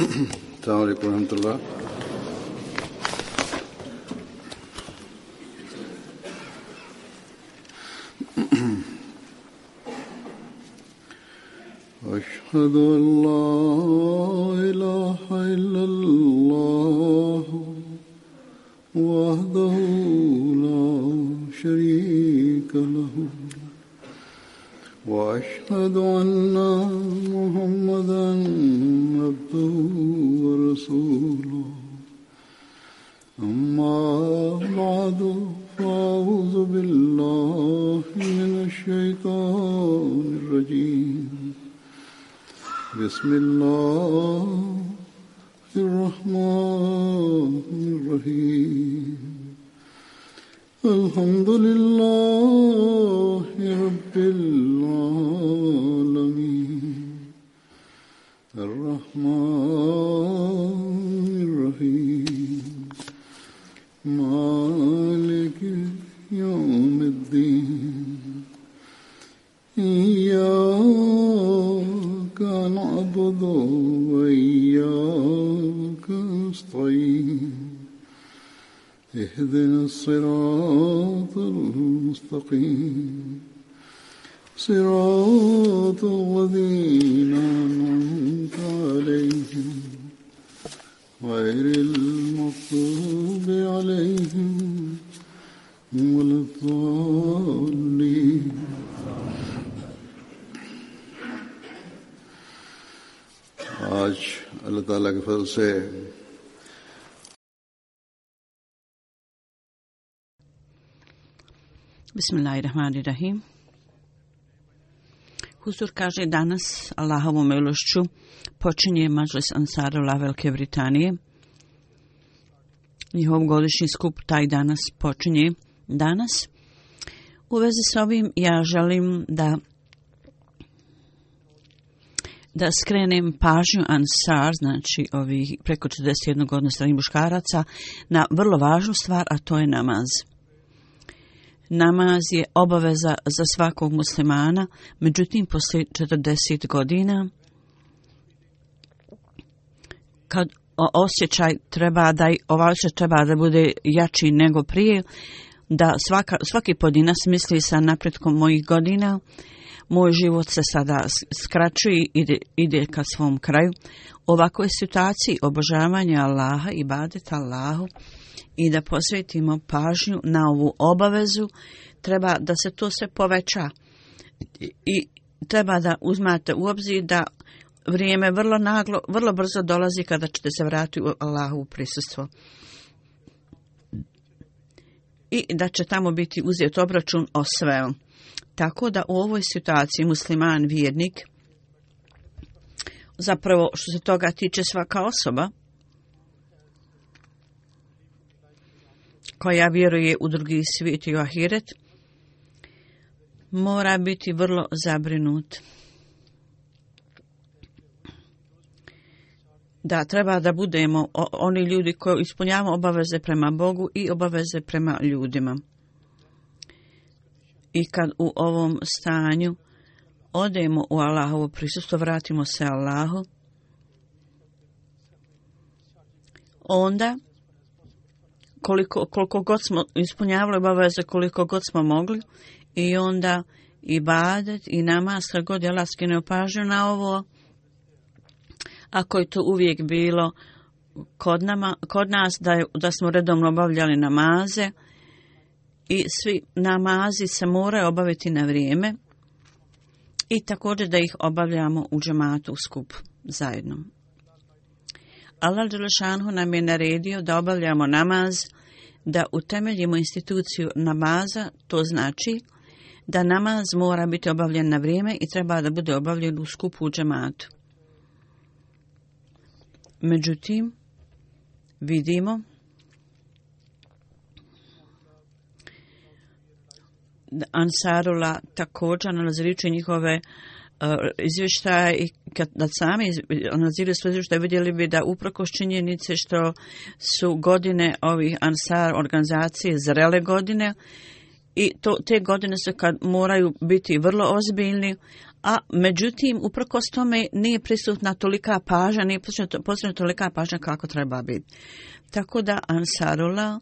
السلام عليكم ورحمة الله. أشهد أن لا إله إلا الله وحده لا شريك له وأشهد أن محمدا عبده ورسوله أما بعد فأعوذ بالله من الشيطان الرجيم بسم الله الرحمن الرحيم الحمد لله رب العالمين الرحمن الرحيم مالك يوم الدين إياك نعبد وإياك نستعين اهدنا الصراط المستقيم صراط الذين أنعمت عليهم غير المغضوب عليهم ولا الضالين. आज अल्लाह ताला के फजल से Bismillahirrahmanirrahim. Huzur kaže danas Allahovom milošću počinje Madžlis Ansarullah Velike Britanije. Njihov godišnji skup taj danas počinje danas. U vezi s ovim ja želim da skrenem pažnju Ansar, znači ovih preko 41 godina starijih muškaraca, na vrlo važnu stvar, a to je namaz. Namaz je obaveza za svakog muslimana, međutim poslije 40 godina kad osjećaj treba da bude jači nego prije, da svaki pojedinac misli sa napretkom mojih godina, moj život se sada skraćuje i ide ka svom kraju. U ovakvoj situaciji obožavanja Allaha, ibadeta Allahu i da posvetimo pažnju na ovu obavezu, treba da se to sve poveća i treba da uzmate u obzir da vrijeme vrlo brzo dolazi kada ćete se vratiti u Allahovu prisustvo i da će tamo biti uzet obračun o svemu. Tako da u ovoj situaciji musliman, vjernik, zapravo što se toga tiče svaka osoba koja vjeruje u drugi svijet i u ahiret, mora biti vrlo zabrinut. Da treba da budemo oni ljudi koji ispunjavamo obaveze prema Bogu i obaveze prema ljudima. I kad u ovom stanju odemo u Allahovo prisustvo, vratimo se Allahu, onda koliko god smo ispunjavali obaveze, koliko god smo mogli, i onda ibadet i namaz, kad god je Allah skinuo pažnju na ovo, ako je to uvijek bilo kod nas da smo redovno obavljali namaze, i svi namazi se moraju obaviti na vrijeme i također da ih obavljamo u džematu u skup zajedno. Allah dželešanu nam je naredio da obavljamo namaz, da utemeljimo instituciju namaza, to znači da namaz mora biti obavljen na vrijeme i treba da bude obavljen u skupu u džematu. Međutim, vidimo Ansarullah također analizirajući njihove izvještaje i kad sami analiziraju sve izvještaje, vidjeli bi da uprkos činjenice što su godine ovih Ansar organizacije zrele godine i te godine su kad moraju biti vrlo ozbiljni, a međutim, uprkos tome nije prisutna tolika pažnja, nije posvećena tolika pažnja kako treba biti. Tako da Ansarullah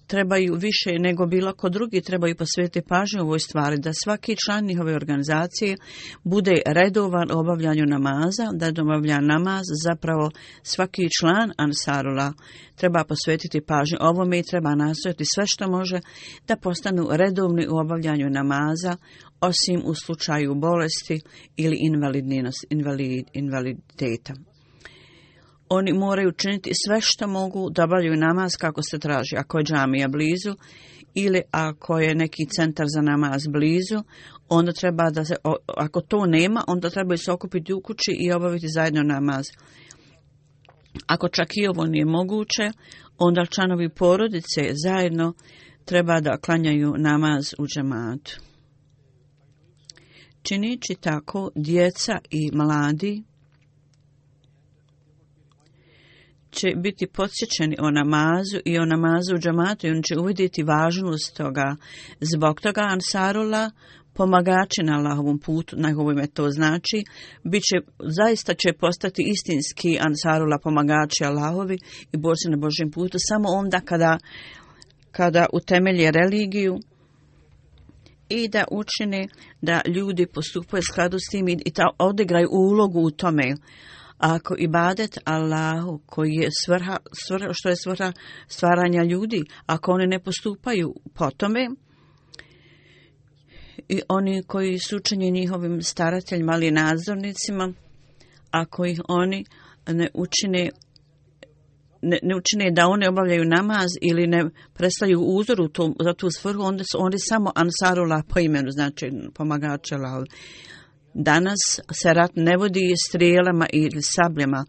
trebaju više nego bilo ko drugi, trebaju posvetiti pažnju ovoj stvari, da svaki član njihove organizacije bude redovan u obavljanju namaza, da obavlja namaz, zapravo svaki član Ansarullah treba posvetiti pažnju ovome i treba nastojati sve što može da postanu redovni u obavljanju namaza, osim u slučaju bolesti ili invaliditeta. Oni moraju činiti sve što mogu da obavljaju namaz kako se traži. Ako je džamija blizu ili ako je neki centar za namaz blizu, onda treba da se, ako to nema, onda trebaju se okupiti u kući i obaviti zajedno namaz. Ako čak i ovo nije moguće, onda članovi porodice zajedno treba da klanjaju namaz u džematu. Činići tako, djeca i mladi će biti podsjećeni o namazu i o namazu u džematu i on će uvidjeti važnost toga. Zbog toga Ansarullah, pomagači na Allahovom putu, na ovome to znači, zaista će postati istinski Ansarullah, pomagači Allahovi i borci na Božjem putu samo onda kada utemelje religiju i da učine da ljudi postupaju u skladu s tim i da odigraju ulogu u tome. Ako ibadet Allahu koji je što je svrha stvaranja ljudi, ako oni ne postupaju po tome, i oni koji su učeni njihovim starateljima ali nadzornicima, ako ih oni ne učine da oni obavljaju namaz ili ne predstavljaju uzor za tu svrhu, onda su oni samo Ansarullah po imenu, znači pomagači Allahu. Danas se rat ne vodi strijelama ili sabljama.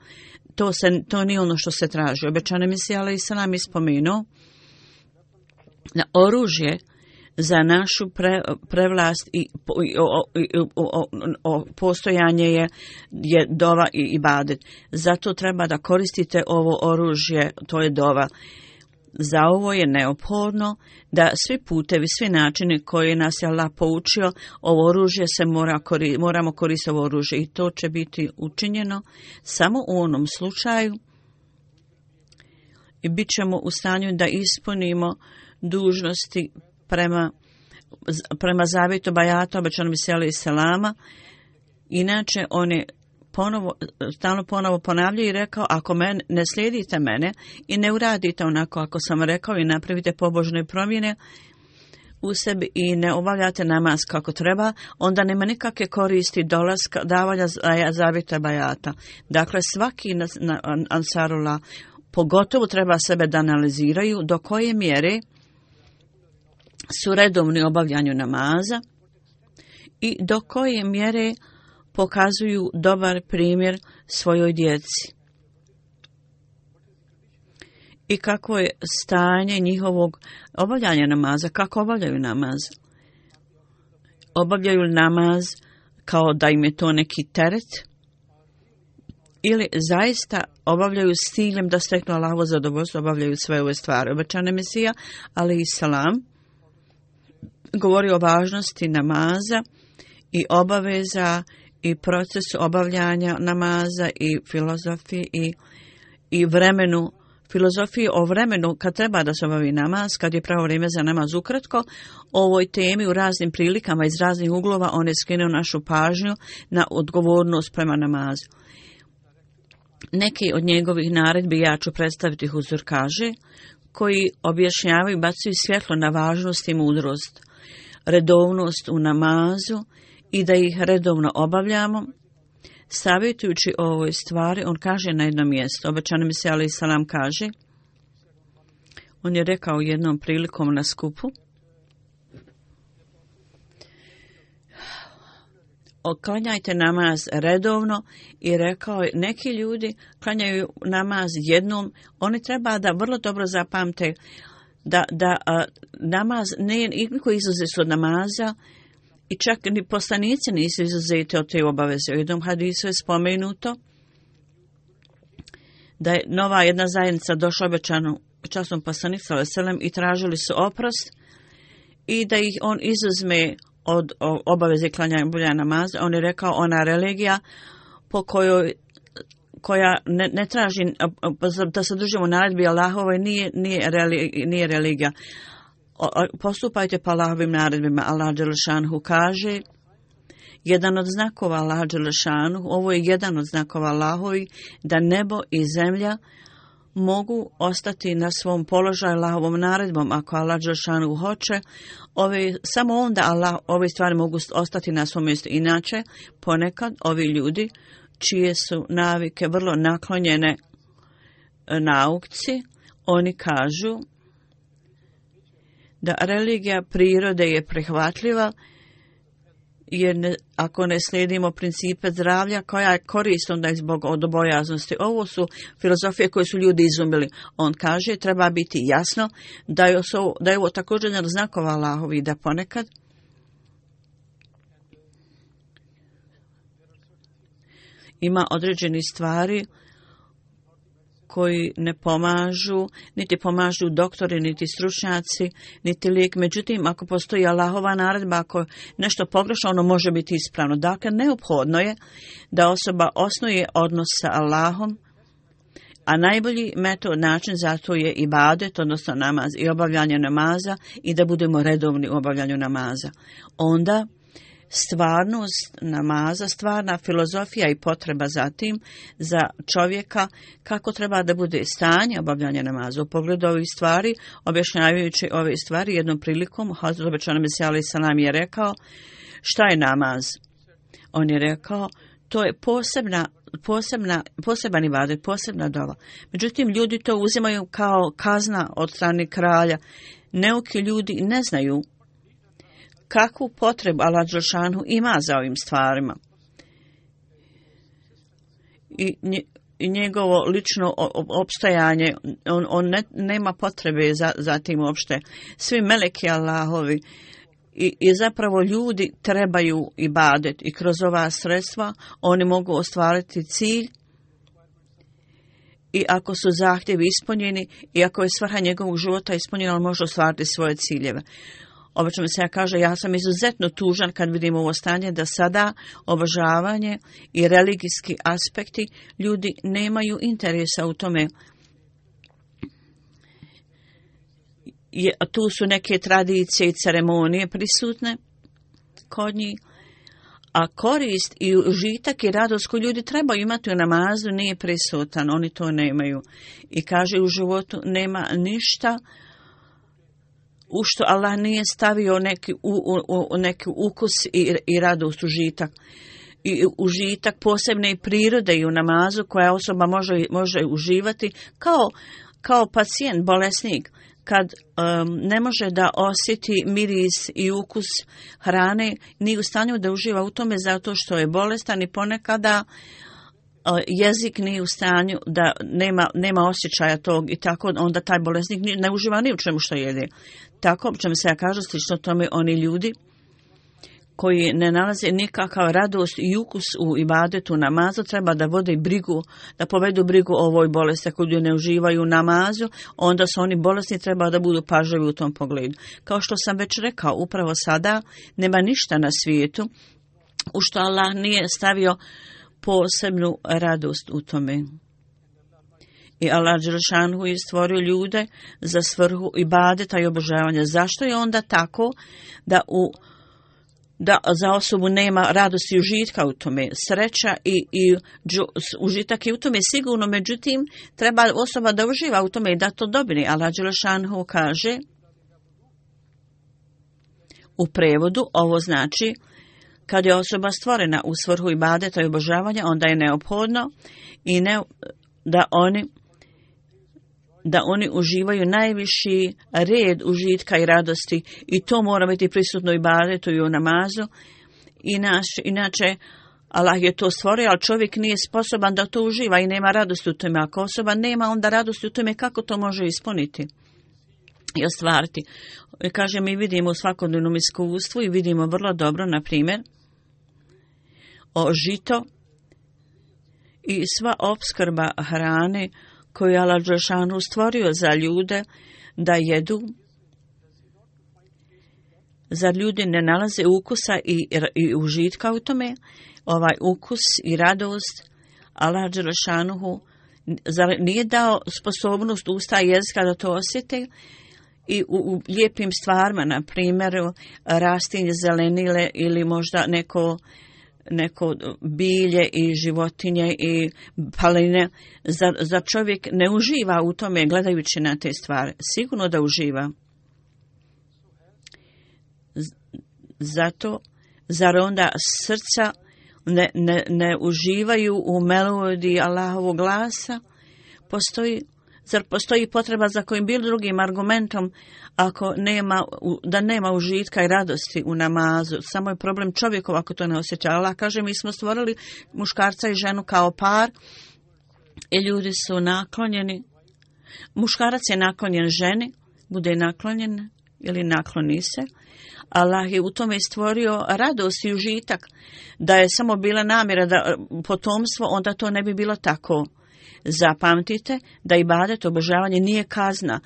To nije ono što se traži. Obećani Mesija alejhi selam ispomenuo da oružje za našu prevlast i postojanje je dova i ibadet. Zato treba da koristite ovo oružje, to je dova. Za ovo je neophodno da svi putevi, svi načini koje nas je Allah poučio, ovo oružje moramo koristiti ovo oružje i to će biti učinjeno samo u onom slučaju i bit ćemo u stanju da ispunimo dužnosti prema zavjetu bajata obećanom Mesija alejhi selama. Inače oni stalno ponovo ponavljaju i rekao, ako ne slijedite mene i ne uradite onako ako sam rekao i napravite pobožne promjene u sebi i ne obavljate namaz kako treba, onda nema nikakve koristi dolaska, davanja zavjeta bajata. Dakle, svaki Ansarullah pogotovo treba sebe da analiziraju do koje mjere su redovni u obavljanju namaza i do koje mjere pokazuju dobar primjer svojoj djeci. I kako je stanje njihovog obavljanja namaza, kako obavljaju namaz. Obavljaju namaz kao da im je to neki teret ili zaista obavljaju s ciljem da steknu Allahovo zadovoljstvo, obavljaju sve ove stvari. Obećani Mesija alejhi selam govori o važnosti namaza i obaveza i procesu obavljanja namaza i filozofiji i vremenu, filozofiji o vremenu kad treba da se obavi namaz, kad je pravo vrijeme za namaz. Ukratko, o ovoj temi u raznim prilikama iz raznih uglova on je skrenuo našu pažnju na odgovornost prema namazu. Neki od njegovih naredbi ja ću predstaviti huzur kaže, koji objašnjavaju i bacaju svjetlo na važnost i mudrost, redovnost u namazu i da ih redovno obavljamo. Savjetujući o ovoj stvari, on kaže na jednom mjestu, obećani Mesija alejhi selam kaže, on je rekao jednom prilikom na skupu, klanjajte namaz redovno i rekao je, neki ljudi klanjaju namaz jednom, oni treba da vrlo dobro zapamte da namaz nije niko izuzet od namaza i čak ni poslanici nisu izuzeti od te obaveze. U jednom hadisu je spomenuto da je nova jedna zajednica došla obećanu časnom poslaniku sallallahu alejhi ve sellem i tražili su oprost i da ih on izuzme od obaveze klanjanja namaza. On je rekao, ona religija po koja ne traži da se držimo naredbi Allahove nije religija. Postupajte po Allahovim naredbima. Allah dželešanhu kaže, jedan od znakova Allaha dželešanhu, ovo je jedan od znakova Allahovi, da nebo i zemlja mogu ostati na svom položaju Allahovom naredbom. Ako Allah dželešanhu hoće, samo onda ove stvari mogu ostati na svom mjestu. Inače, ponekad ovi ljudi čije su navike vrlo naklonjene nauci, oni kažu da religija prirode je prihvatljiva, jer ako ne slijedimo principe zdravlja, koja je korist onda zbog odbojaznosti. Ovo su filozofije koje su ljudi izumili. On kaže, treba biti jasno da je ovo također jedan znakova Allahovi, da ponekad ima određeni stvari koji ne pomažu, niti pomažu doktori, niti stručnjaci, niti lijek. Međutim, ako postoji Allahova naredba, ako nešto pogrešno, ono može biti ispravno. Dakle, neophodno je da osoba osnuje odnos sa Allahom, a najbolji metod, način za to je ibadet, odnosno namaz i obavljanje namaza, i da budemo redovni u obavljanju namaza. Onda stvarnost namaza, stvarna filozofija i potreba zatim za čovjeka kako treba da bude stanje obavljanja namaza. U pogledu ovih stvari, objašnjavajući ove stvari, jednom prilikom Hazret obećani Mesija alejhi selam je rekao, šta je namaz? On je rekao, to je poseban ibadet, posebna dova. Međutim, ljudi to uzimaju kao kazna od strane kralja. Neuki ljudi ne znaju kakvu potrebu Allah dželešanu ima za ovim stvarima. I njegovo lično opstajanje, on nema potrebe za tim uopšte. Svi meleki Allahovi i zapravo ljudi trebaju ibadet i kroz ova sredstva oni mogu ostvariti cilj, i ako su zahtjevi ispunjeni i ako je svrha njegovog života ispunjena, on može ostvariti svoje ciljeve. Obično mi se kaže, ja sam izuzetno tužan kad vidim ovo stanje da sada obožavanje i religijski aspekti ljudi nemaju interesa u tome. Tu su neke tradicije i ceremonije prisutne kod njih, a korist i užitak i radost koju ljudi trebaju imati u namazu nije prisutan, oni to nemaju. I kaže, u životu nema ništa u što Allah nije stavio neki ukus i radost, užitak. I užitak posebne prirode i u namazu koja osoba može uživati kao pacijent, bolesnik. Kad ne može da osjeti miris i ukus hrane, nije u stanju da uživa u tome zato što je bolestan i ponekada jezik nije u stanju da nema osjećaja tog, i tako onda taj bolesnik ne uživa ni u čemu što jede. Tako čemu se ja kažem, slično tome oni ljudi koji ne nalaze nikakav radost i ukus u ibadetu namazu, treba da vode brigu, da povedu brigu o ovoj bolesti. Ako ljudi ne uživaju u namazu, onda su oni bolesni, treba da budu pažljivi u tom pogledu. Kao što sam već rekao, upravo sada nema ništa na svijetu u što Allah nije stavio posebnu radost u tome. I Allah dželešanu je stvorio ljude za svrhu ibadeta i obožavanja. Zašto je onda tako da za osobu nema radosti i užitka u tome? Sreća i užitak je u tome sigurno, međutim treba osoba da uživa u tome i da to dobije. Allah dželešanu kaže u prevodu, ovo znači kad je osoba stvorena u svrhu ibadeta i obožavanja, onda je neophodno i da oni uživaju najviši red užitka i radosti, i to mora biti prisutno u ibadetu i u namazu. Inače, Allah je to stvorio, ali čovjek nije sposoban da to uživa i nema radosti u tome. Ako osoba nema onda radosti u tome, kako to može ispuniti i ostvariti? Kaže, mi vidimo u svakodnevnom iskustvu i vidimo vrlo dobro, na primjer, o žito i sva opskrba hrane koju je Allah dželešanu stvorio za ljude da jedu, Zar ljudi ne nalaze ukusa i užitka u tome? Ovaj ukus i radost Allah dželešanuhu zar nije dao sposobnost usta i jezika da to osjete? I u lijepim stvarima, na primjer rastinje, zelenile ili možda neko bilje i životinje i paline. Zar čovjek ne uživa u tome gledajući na te stvari? Sigurno da uživa. Zato, zar onda srca ne uživaju u melodiji Allahovog glasa? Zar postoji potreba za kojim bilo drugim argumentom da nema užitka i radosti u namazu? Samo je problem čovjekov ako to ne osjeća. Allah kaže, mi smo stvorili muškarca i ženu kao par i ljudi su naklonjeni. Muškarac je naklonjen ženi, bude naklonjen ili nakloni se. Allah je u tome stvorio radost i užitak. Da je samo bila namjera da potomstvo, onda to ne bi bilo tako. Zapamtite da ibadet, obožavanje nije kazna.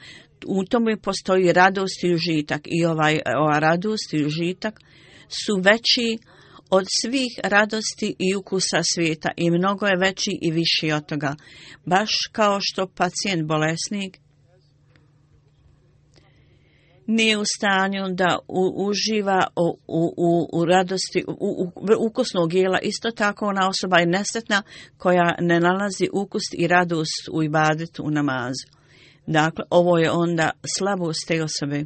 U tome postoji radost i užitak. I ova radost i užitak su veći od svih radosti i ukusa svijeta. I mnogo je veći i viši od toga. Baš kao što pacijent bolesnik nije u stanju da uživa u radosti ukusnog jela. Isto tako ona osoba je nesretna koja ne nalazi ukus i radost u ibadetu, u namazu. Dakle, ovo je onda slabost te osobe.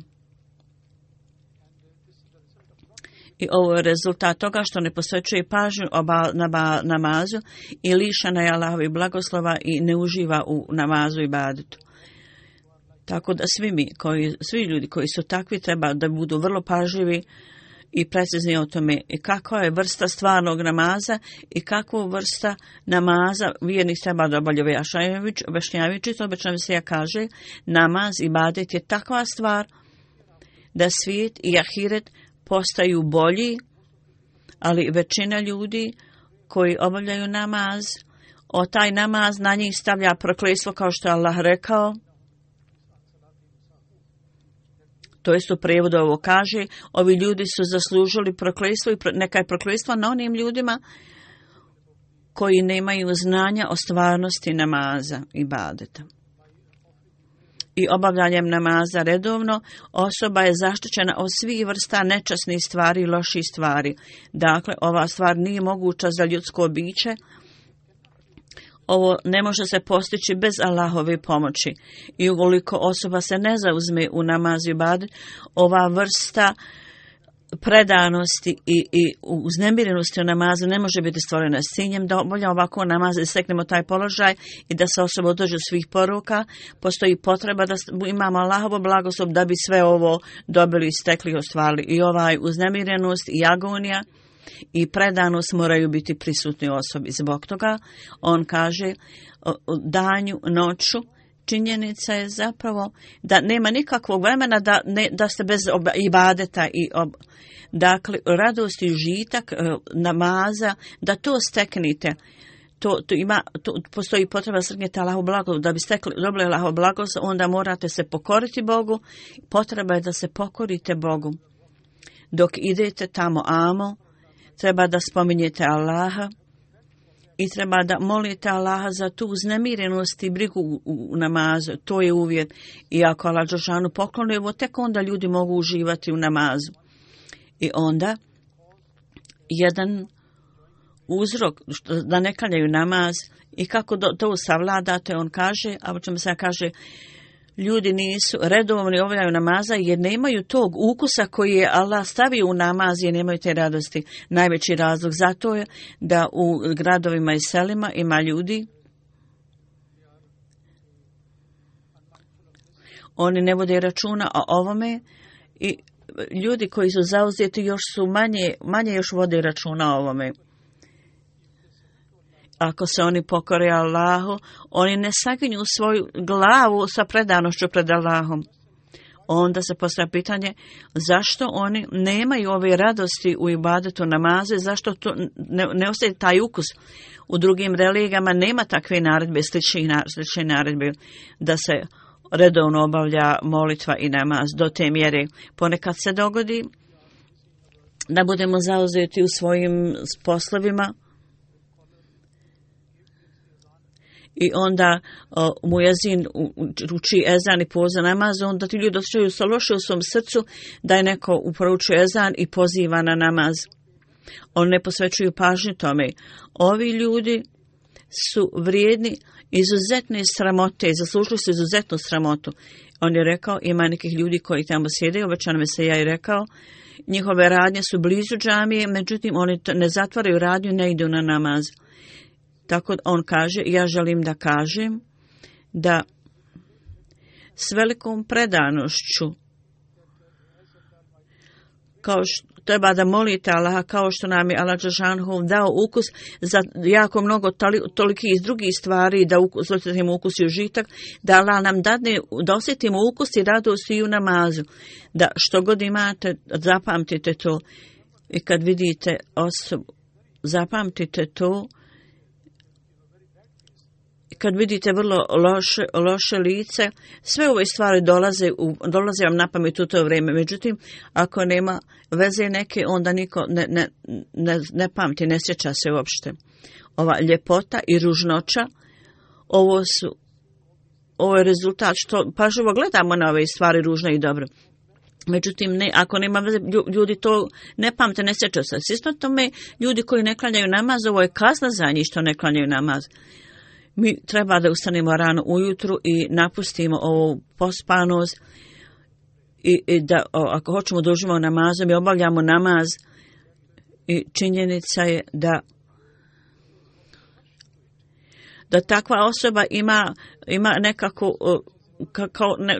I ovo je rezultat toga što ne posvećuje pažnju namazu i lišana je Allahovi blagoslova i ne uživa u namazu i ibadetu. Tako da svi ljudi koji su takvi treba da budu vrlo pažljivi i precizni o tome i kakva je vrsta stvarnog namaza i kakvu vrsta namaza vjernik treba da obavlja. Objašnjavajući to, obično se kaže, namaz, ibadet je takva stvar da svijet i ahiret postaju bolji, ali većina ljudi koji obavljaju namaz, taj namaz na njih stavlja prokletstvo kao što je Allah rekao. To jest u prijevodu ovo kaže, ovi ljudi su zaslužili prokletstvo i neka je prokletstvo na onim ljudima koji nemaju znanja o stvarnosti namaza i ibadeta. I obavljanjem namaza redovno osoba je zaštićena od svih vrsta nečasnih stvari i loših stvari. Dakle, ova stvar nije moguća za ljudsko biće. Ovo ne može se postići bez Allahove pomoći. I ukoliko osoba se ne zauzme u namazu i ibadet, ova vrsta predanosti i uznemirenosti u namazu ne može biti stvorena s ciljem da obavlja ovako namaz i steknemo taj položaj i da se osoba održi svih poruka. Postoji potreba da imamo Allahovo blagoslov da bi sve ovo dobili, stekli i ostvarili. I ovaj uznemirenost i agonija i predanost moraju biti prisutni osobi. Zbog toga on kaže danju, noću, činjenica je zapravo da nema nikakvog vremena da ste bez ibadeta dakle, radost i užitak namaza, da to steknite. Postoji potreba srgnete Allahu blagoslov. Da bi dobili Allahu blagoslov, onda morate se pokoriti Bogu. Potreba je da se pokorite Bogu. Dok idete tamo treba da spominjete Allaha i treba da molite Allaha za tu uznemirenost i brigu u namazu. To je uvjet. I ako Allah dželešanu pokloni ovo, tek onda ljudi mogu uživati u namazu. I onda jedan uzrok da ne klanjaju namaz i kako to savladate, on kaže, a o čemu se kaže, ljudi nisu redovni obavljaju namaza jer nemaju tog ukusa koji je Allah stavio u namaz i nemaju te radosti. Najveći razlog za to je da u gradovima i selima ima ljudi, oni ne vode računa o ovome i ljudi koji su zauzeti još su manje još vode računa o ovome. Ako se oni pokore Allahu, oni ne saginju svoju glavu sa predanošću pred Allahom. Onda se postavlja pitanje zašto oni nemaju ove radosti u ibadetu namaze, zašto to ne ostaje taj ukus. U drugim religijama nema takve naredbe, slične naredbe da se redovno obavlja molitva i namaz do te mjere. Ponekad se dogodi da budemo zauzeti u svojim poslovima. I onda muezin uči ezan i poziva namaz, onda ti ljudi osjećaju se loše u svom srcu da je neko uporučuje ezan i poziva na namaz. Oni ne posvećuju pažnju tome. Ovi ljudi su vrijedni izuzetne sramote, zaslužili su izuzetnu sramotu. On je rekao, ima nekih ljudi koji tamo sjede, obećano mi se ja i rekao, njihove radnje su blizu džamije, međutim oni ne zatvaraju radnju, ne idu na namaz. Tako on kaže, ja želim da kažem da s velikom predanošću, kao što treba da molite Allaha, kao što nam je Allah dželešanohu dao ukus za jako mnogo toliki iz drugih stvari, da osjetimo ukus i užitak, da Allah nam dadne da osjetimo ukus i radost i u namazu. Da što god imate, zapamtite to. I kad vidite osobu, zapamtite to. Kad vidite vrlo loše lice, sve ove stvari dolaze vam na pamet u to vrijeme. Međutim, ako nema veze neke, onda niko ne pamti, ne sjeća se uopšte. Ova ljepota i ružnoća, ovo je rezultat što pažljivo gledamo na ove stvari ružno i dobro. Međutim, ako nema veze, ljudi to ne pamte, ne sjeća se. Isto tome, ljudi koji ne klanjaju namaz, ovo je kazna za njih što ne klanjaju namaz. Mi treba da ustanemo rano ujutru i napustimo ovu pospanost i da ako hoćemo da uživamo namazom i obavljamo namaz i činjenica je da takva osoba ima nekako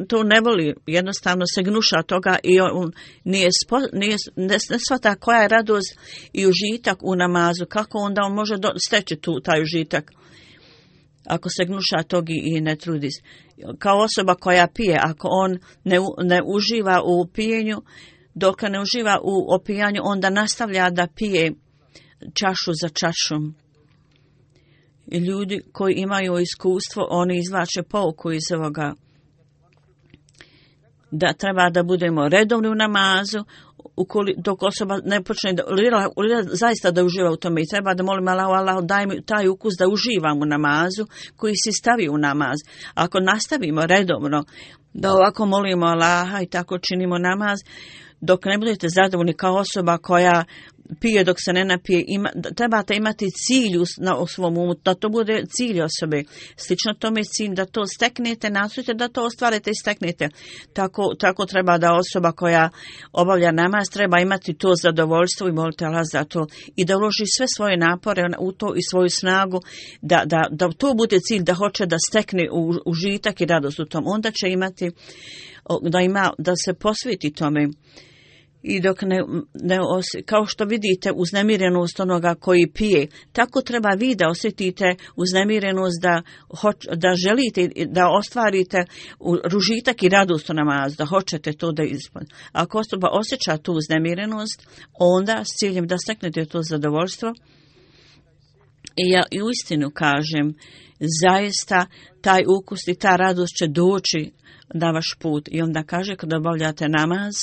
to ne voli, jednostavno se gnuša toga i on ne shvata koja je radost i užitak u namazu, kako onda on može steći taj užitak. Ako se gnuša toga i ne trudi. Kao osoba koja pije, ako on ne uživa u pijenju, dok ne uživa u opijanju, onda nastavlja da pije čašu za čašom. I ljudi koji imaju iskustvo, oni izvlače pouku iz ovoga. Da treba da budemo redovni u namazu, dok osoba ne počne zaista da uživa u tome i treba da molim Allah daj mi taj ukus da uživam u namazu koji si stavi u namaz. Ako nastavimo redovno da ovako molimo Allaha i tako činimo namaz, dok ne budete zadovoljni kao osoba koja pije dok se ne napije, trebate imati cilj u svom umu, da to bude cilj osobe. Slično tome cilj da to steknete, nastojite da to ostvarite i steknete. Tako treba da osoba koja obavlja namaz treba imati to zadovoljstvo i molite Allah za to i da uloži sve svoje napore u to i svoju snagu, da to bude cilj, da hoće da stekne užitak i radost u tom. Onda će imati da se posveti tome. I dok kao što vidite uznemirenost onoga koji pije, tako treba vi da osjetite uznemirenost da želite da ostvarite ružitak i radost u namazu, da hoćete to da ispunite. Ako osoba osjeća tu uznemirenost, onda s ciljem da steknete to zadovoljstvo. I ja i uistinu kažem, zaista taj ukus i ta radost će doći na vaš put. I onda kaže kada obavljate namaz,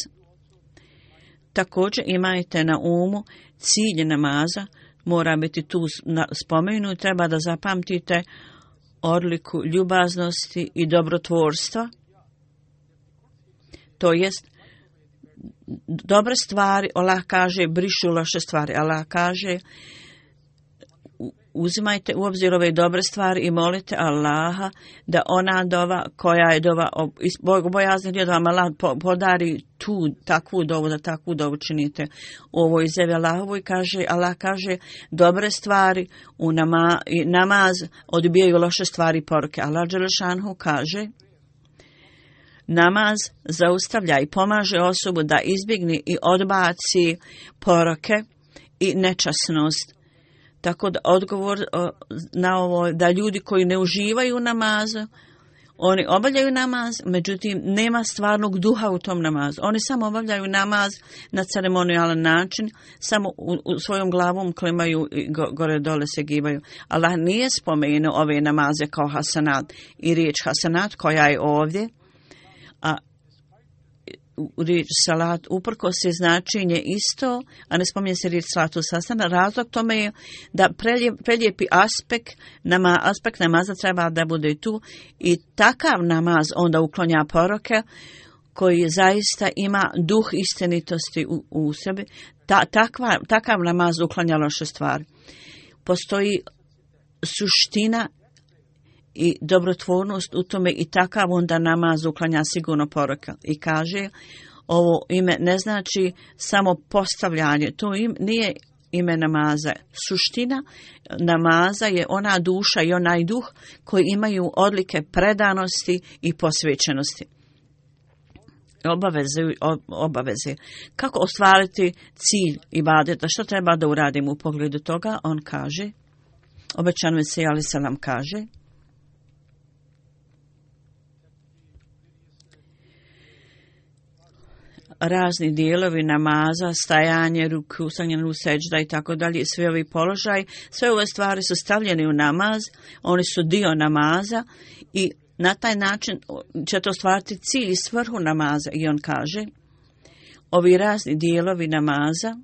također imajte na umu cilj namaza, mora biti tu spomenut, treba da zapamtite odliku ljubaznosti i dobrotvorstva. To jest, dobre stvari, Allah kaže, brišu loše stvari. Allah kaže, uzimajte u obzir ove dobre stvari i molite Allaha da ona dova koja je dova bojaznih ljudi, da vam Allah podari takvu dovu, da takvu dovu činite. U ovoj izjavi Allahovoj Allah kaže dobre stvari u namaz odbijaju loše stvari i poruke. Allah dželešanohu kaže namaz zaustavlja i pomaže osobu da izbjegne i odbaci poroke i nečasnost. Tako da odgovor na ovo da ljudi koji ne uživaju u namazu, oni obavljaju namaz, međutim nema stvarnog duha u tom namazu. Oni samo obavljaju namaz na ceremonijalan način, samo u svojom glavom klimaju i gore dole se gibaju. Allah nije spomenuo ove namaze kao hasanat i riječ hasanat koja je ovdje, riječ salat, uprkos je značenje isto, a ne spominje se riječ salatu sastana. Razlog tome je da prelijepi aspekt namaza treba da bude tu i takav namaz onda uklonja poroke koji zaista ima duh istinitosti u sebi. Takav namaz uklanja loše stvari. Postoji suština i dobrotvornost u tome i takav onda namaz uklanja sigurno poroka. I kaže, ovo ime ne znači samo postavljanje, to nije ime namaza. Suština namaza je ona duša i onaj duh koji imaju odlike predanosti i posvećenosti. Obaveze. Kako ostvariti cilj ibadeta? Što treba da uradimo u pogledu toga? On kaže, obećan Mesija alejhi selam kaže, razni dijelovi namaza, stajanje, ruku, stavljanje u seđda i tako dalje, sve ovi položaj, sve ove stvari su stavljene u namaz, oni su dio namaza i na taj način će to stvarati cilj i svrhu namaza. I on kaže, ovi razni dijelovi namaza,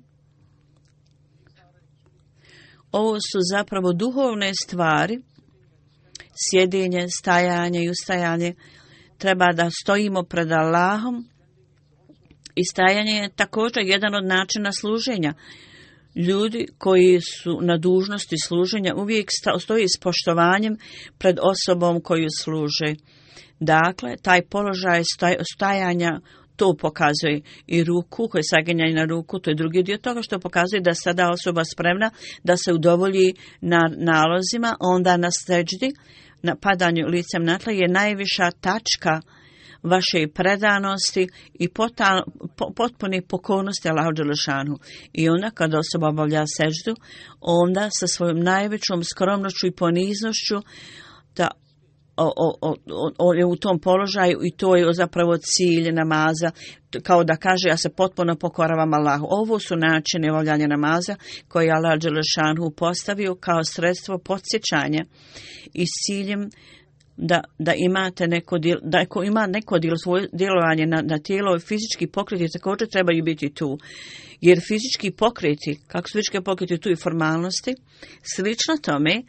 ovo su zapravo duhovne stvari, sjedenje, stajanje i ustajanje, treba da stojimo pred Allahom i stajanje je također jedan od načina služenja. Ljudi koji su na dužnosti služenja uvijek stoji s poštovanjem pred osobom koju služe. Dakle, taj položaj stajanja to pokazuje i ruku, koje saginjanje na ruku, to je drugi dio toga što pokazuje da sada osoba spremna da se udovolji na nalozima, onda na seđdi, na padanju licem na tla je najviša tačka vaše predanosti i potpune pokornosti Allahu dželešanu. I onda kada osoba obavlja seđdu, onda sa svojom najvećom skromnošću i poniznošću da je u tom položaju i to je zapravo cilj namaza, kao da kaže ja se potpuno pokoravam Allahu. Ovo su načine obavljanja namaza koje je Allah dželešanu postavio kao sredstvo podsjećanja i s ciljem da imate da ako ima neko svoje djelovanje na tijelo i fizički pokreti također trebaju biti tu. Jer fizički pokreti, kako su fizički pokreti tu i formalnosti, slično tome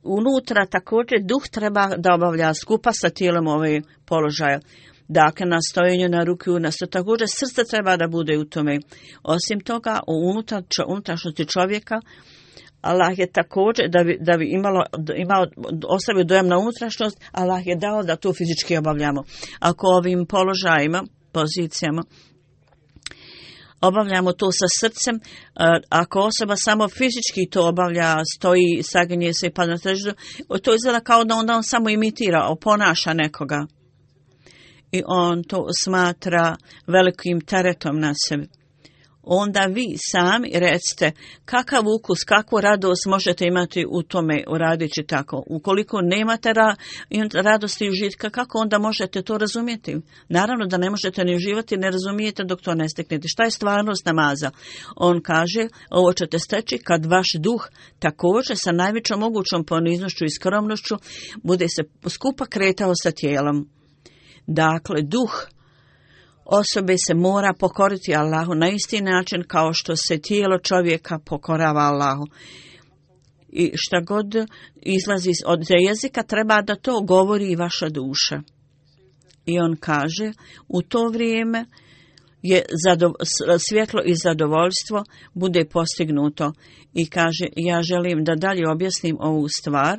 unutra također duh treba da obavlja skupa sa tijelom ove položaja. Dakle, na stojenju na ruku, također srce treba da bude u tome. Osim toga, u unutrašnjosti čovjeka, Allah je također, da bi ostavio dojam na unutrašnjost, Allah je dao da to fizički obavljamo. Ako ovim položajima, pozicijama, obavljamo to sa srcem, ako osoba samo fizički to obavlja, stoji, saginje se i pada na seđdu, to izgleda kao da onda on samo imitira, oponaša nekoga. I on to smatra velikim teretom na sebi. Onda vi sami recite kakav ukus, kakvu radost možete imati u tome uradeći tako. Ukoliko nemate radosti i užitka, kako onda možete to razumjeti? Naravno da ne možete ni uživati, ne razumijete dok to ne steknete. Šta je stvarnost namaza? On kaže, ovo ćete steći kad vaš duh također sa najvećom mogućom poniznošću i skromnošću bude se skupa kretao sa tijelom. Dakle, duh osobe se mora pokoriti Allahu na isti način kao što se tijelo čovjeka pokorava Allahu. I šta god izlazi od jezika treba da to govori i vaša duša. I on kaže, u to vrijeme je svjetlo i zadovoljstvo bude postignuto. I kaže, ja želim da dalje objasnim ovu stvar,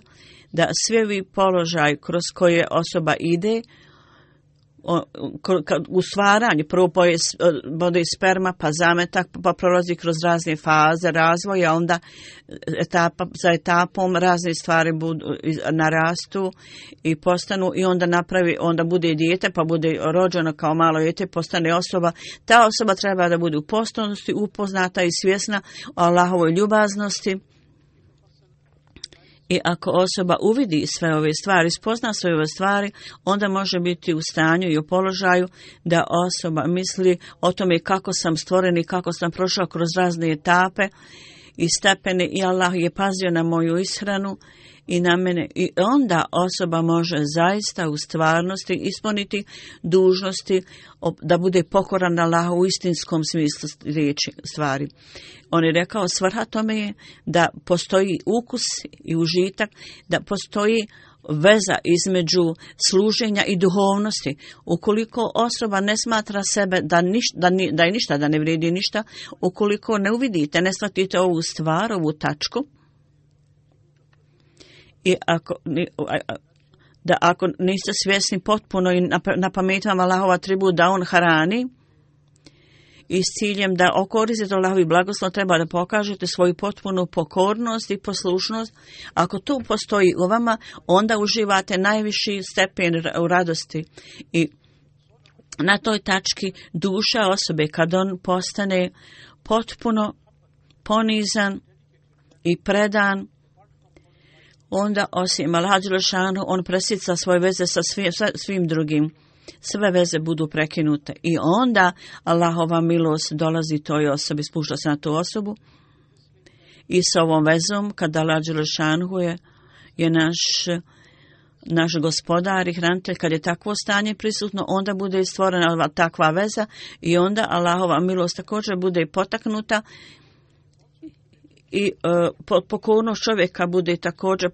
da svi ovi položaj kroz koje osoba ide, u stvaranju, prvo bude sperma, pa zametak, pa prolazi kroz razne faze razvoja, onda za etapom razne stvari narastu i postanu i onda bude dijete, pa bude rođeno kao malo dijete, postane osoba. Ta osoba treba da bude u postojanosti, upoznata i svjesna o Allahovoj ljubaznosti. I ako osoba uvidi sve ove stvari, spozna sve ove stvari, onda može biti u stanju i u položaju da osoba misli o tome kako sam stvoren i kako sam prošao kroz razne etape i stepene i Allah je pazio na moju ishranu i na mene. I onda osoba može zaista u stvarnosti ispuniti dužnosti da bude pokoran Allahu u istinskom smislu riječi stvari. On je rekao, svrha tome je da postoji ukus i užitak, da postoji veza između služenja i duhovnosti. Ukoliko osoba ne smatra sebe da je ništa, da ne vrijedi ništa, ukoliko ne uvidite, ne shvatite ovu stvar, ovu tačku, i ako niste svjesni potpuno i na pamet vam Allahov atribut da on hrani, i s ciljem da okoristite Allahovi blagoslov treba da pokažete svoju potpunu pokornost i poslušnost. Ako to postoji u vama, onda uživate najviši stepen u radosti. I na toj tački duša osobe, kad on postane potpuno ponizan i predan, onda osim Allaha dželešanu on presica svoje veze sa svim drugim. Sve veze budu prekinute i onda Allahova milost dolazi toj osobi, spušta se na tu osobu i s ovom vezom kada Allah dželešanu je naš gospodar i hranitelj, kad je takvo stanje prisutno, onda bude stvorena takva veza i onda Allahova milost također bude potaknuta i pokornost čovjeka bude također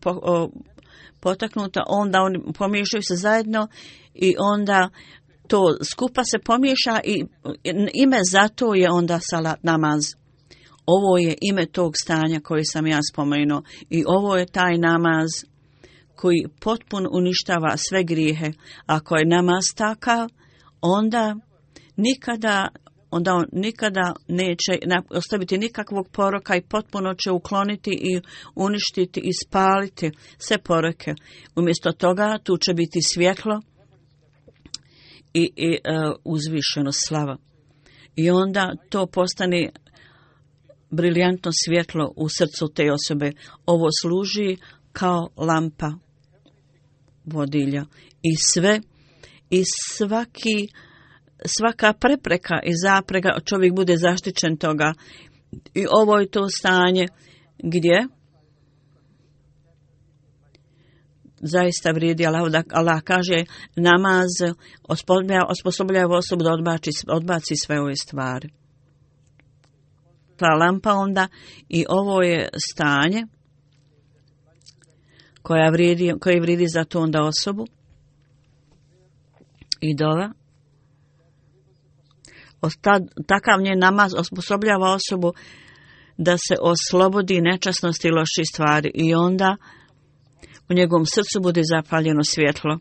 potaknuta, onda oni pomiješaju se zajedno i onda to skupa se pomiješa i ime za to je onda salat namaz. Ovo je ime tog stanja koje sam ja spomenuo i ovo je taj namaz koji potpuno uništava sve grijehe. Ako je namaz takav, onda on nikada neće ostaviti nikakvog poroka i potpuno će ukloniti i uništiti i spaliti sve poroke. Umjesto toga tu će biti svjetlo i uzvišeno slava. I onda to postane briljantno svjetlo u srcu te osobe. Ovo služi kao lampa vodilja i svaka prepreka i zaprega, čovjek bude zaštićen toga. I ovo je to stanje gdje zaista vrijedi Allah kaže namaz osposobljava osobu da odbaci sve ove stvari. Ta lampa onda i ovo je stanje koje vrijedi za to onda osobu i dova. Takav njen namaz osposobljava osobu da se oslobodi nečasnosti i loših stvari i onda u njegovom srcu bude zapaljeno svjetlo.